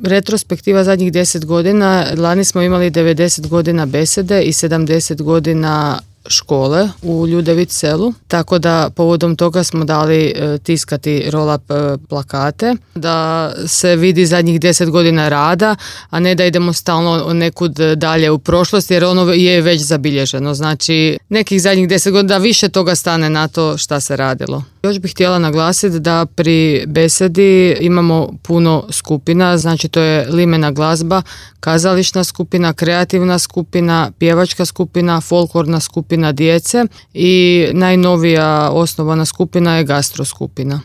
retrospektiva zadnjih 10 godina. Lani smo imali 90 godina besede i 70 godina škole u Ljudević selu, tako da povodom toga smo dali tiskati roll-up plakate, da se vidi zadnjih 10 godina rada, a ne da idemo stalno nekud dalje u prošlost, jer ono je već zabilježeno. Znači, nekih zadnjih 10 godina da više toga stane na to šta se radilo. Još bih htjela naglasiti da pri besedi imamo puno skupina, znači to je limena glazba, kazališna skupina, kreativna skupina, pjevačka skupina, folklorna skupina djece i najnovija osnovana skupina je gastro skupina.